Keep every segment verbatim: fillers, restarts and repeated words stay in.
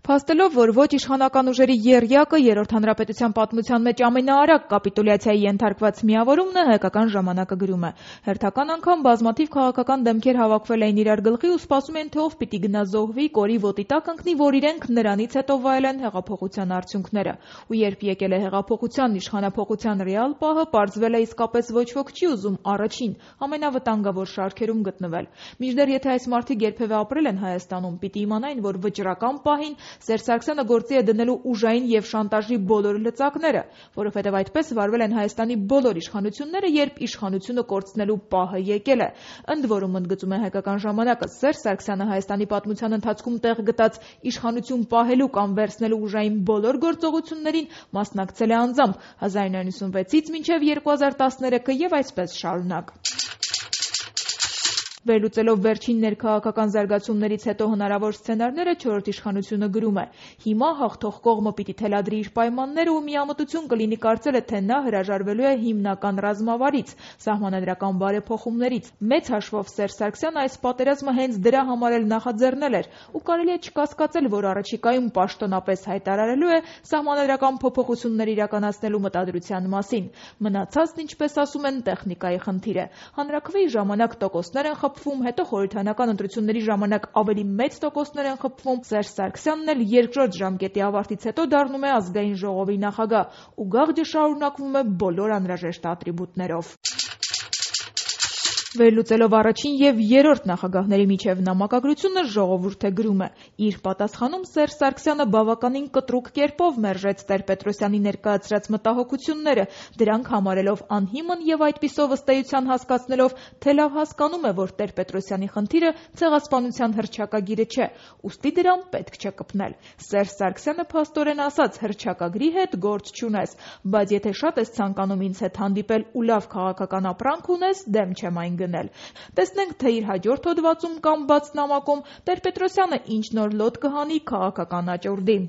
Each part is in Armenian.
Փաստելով, որ ոչ իշխանական ուժերի եռյակը երրորդ հանրապետության պատմության մեջ ամենաարագ կապիտուլյացիայի ենթարկված միավորումն է, հայկական ժամանակը գրում է. հերթական անգամ բազմաթիվ քաղաքական դեմքեր հավաքվել էին իրար գլխի ու սպասում են, թե ով պիտի գնա զոհվի, կորի ոտի տակ ընկնի, որ իրենք նրանից հետո վայելեն հեղափոխության արդյունքները։ Ու երբ եկել է հեղափոխության, իշխանափոխության ռեալ պահը, պարզվել է իսկապես ոչ ոք չի ուզում առաջին, ամենավտանգավոր շարքերում գտնվել։ Մինչդեռ եթե այս մարդիկ երբևէ ապրել են Հայաստանում, պիտի իմանային, որ վճռական պահին Սերժ Սարգսյանը գործի է դնելու ուժային և շանտաժի բոլոր լծակները, որովհետև այդպես վարվել են Հայաստանի բոլոր իշխանությունները, երբ իշխանությունը կորցնելու պահը եկել է։ Ընդ որում, ընդգծում է հայկական ժամանակը, Սերժ Սարգսյանը Հայաստանի պատմության ընթացքում տեղ գտած իշխանություն պահելու կամ վերցնելու ուժային բոլոր գործողություններին մասնակցել է անձամբ հազար իննսուն ութանասունվեցից մինչև երկու հազար տասներեքը և այսպես շարունակ։ Վերլուծելով վերջին ներքաղաքական զարգացումներից հետո հնարավոր սցենարները, չորրորդ իշխանությունը գրում է. հիմա հաղթող կողմը պիտի թելադրի իր պայմանները ու միամտություն կլինի կարծելը, թե նա հրաժարվելու է հիմնական ռազմավարից, սահմանադրական բարեփոխումներից։ Մեծ հաշվով Սերժ Սարգսյանը այս պատերազմը հենց դրա համար էլ նախաձեռնել էր ու կարելի է չկասկածել, որ առաջիկայում պաշտոնապես հայտարարելու է սահմանադրական փոփոխություններ իրականացնելու մտադրության մասին։ Մնացածն, ինչպես ասում են, տեխնիկայի խնդիր է։ Հանրաքվեի ժամանակ տոկոսներ են խփվում, հետո խորհրդարանական ընտրությունների ժամանակ ավելի մեծ տոկոսներ են խփվում, Սերժ Սարգսյանն էլ երկրորդ ժամկետի ավարտից հետո դառնում է ազգային ժողովի նախագահ ու գաղջը շարունակվում է բոլոր անհրաժեշտ ատրիբուտներով։ Վերլուծելով առաջին և երրորդ նախագահների միջև նամակագրությունը, Ժողովուրդը գրում է. իր պատասխանում Սերժ Սարգսյանը բավականին կտրուկ կերպով մերժեց Տեր-Պետրոսյանի ներկայացրած մտահոգությունները, դրանք համարելով անհիմն և այդպիսով ըստ էության հասկացնելով, թե լավ հասկանում է, որ Տեր-Պետրոսյանի խնդիրը ցեղասպանության հռչակագիրը չէ, ուստի դրան պետք չէ կպնել։ Սերժ Սարգսյանը փաստորեն ասաց. հռչակագրի հետ գործ չունես, բայց եթե շատ ես ցանկանում ինձ հետ հանդիպել ու լավ քաղաքական ապրանք ունես, դեմ չեմ այն գնել։ Տեսնենք, թե իր հաջորդ հոդվածում կամ բաց նամակում Տեր-Պետրոսյանը ինչ նոր լոտ կհանի քաղաքական աճուրդի։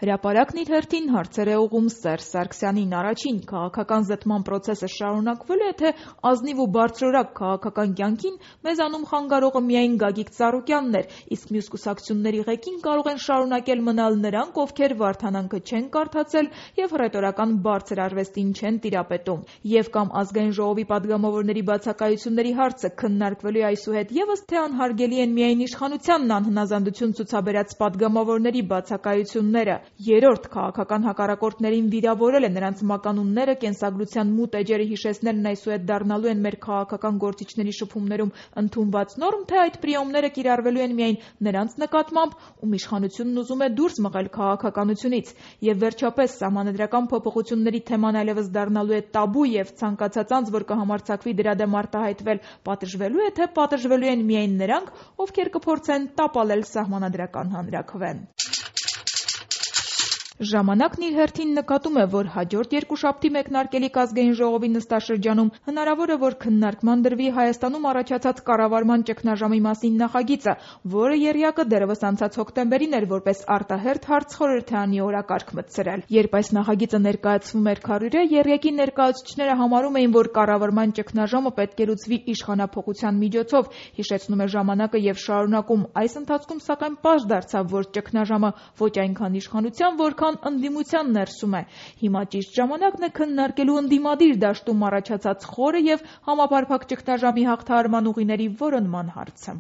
Հրապարակն իր հերթին հարցեր է ուղղում Սերժ Սարգսյանին. առաջին, քաղաքական զտման պրոցեսը շարունակվելու է, թե ազնիվ ու բարձրորակ քաղաքական կյանքին մեզ անում խանգարողը միայն Գագիկ Ծառուկյանն էր, իսկ մյուս կուսակցությունների ղեկին կարող են շարունակել մնալ նրանք, ովքեր Վարդանանքը չեն կարդացել և հռետորական բարձր արվեստին չեն տիրապետում։ Եվ կամ ազգային ժողովի պատգամավորների բացակայությունների հարցը քննարկվելու է այսուհետ ևս, թե անհարգելի են միայն իշխանությանն անհնազանդություն ցուցաբերած պատգամավորների բացակայությունները։ Երրորդ, քաղաքական հակառակորդներին վիրավորել է, նրանց մականունները, կենսագրության մութ էջերը հիշեցնելն այսուհետ դառնալու են մեր քաղաքական գործիչների շփումներում ընդունված նորմ, թե այդ պրիոմները կիրառվելու են միայն նրանց նկատմամբ, ում իշխանությունն ուզում է դուրս մղել քաղաքականությունից։ Եվ վերջապես, սահմանադրական փոփոխությունների թեման այլևս դառնալու է տաբու և ցանկացած անձ, որ կհամարձակվի դրա դեմ արտահայտվել, պատժվելու է, թե պատժվելու են միայն նրանք, ովքեր կփորձեն տապալել սահմանադրական հանրաքվեն։ Ժամանակն իր հերթին նկատում է, որ հաջորդ երկուշաբթի մեկնարկելիք ազգային ժողովի նստաշրջանում հնարավոր է, որ քննարկման դրվի Հայաստանում առաջացած կառավարման ճգնաժամի մասին նախագիծը, որը եռյակը դեռևս անցած հոկտեմբերին էր որպես արտահերթ հարց խորհրդարանի օրակարգ մտցրել։ Երբ այս նախագիծը ներկայացվում էր քարոզը, եռյակի ներկայացուցիչները համարում էին, որ կառավարման ճգնաժամը պետք է լուծվի իշխանափոխության միջոցով, հիշեցնում է ժամանակը և շարունակում. այս ընթացքում սակայն պարզ դարձավ, որ ճգնաժամը ոչ այնքան իշխանության, որքան ընդդիմության ներսում է։ Հիմա ճիշտ ժամանակն է քննարկելու ընդդիմադիր դաշտում առաջացած խորը և համապարփակ ճգնաժամի հաղթահարման ուղիների որոնման հարցը։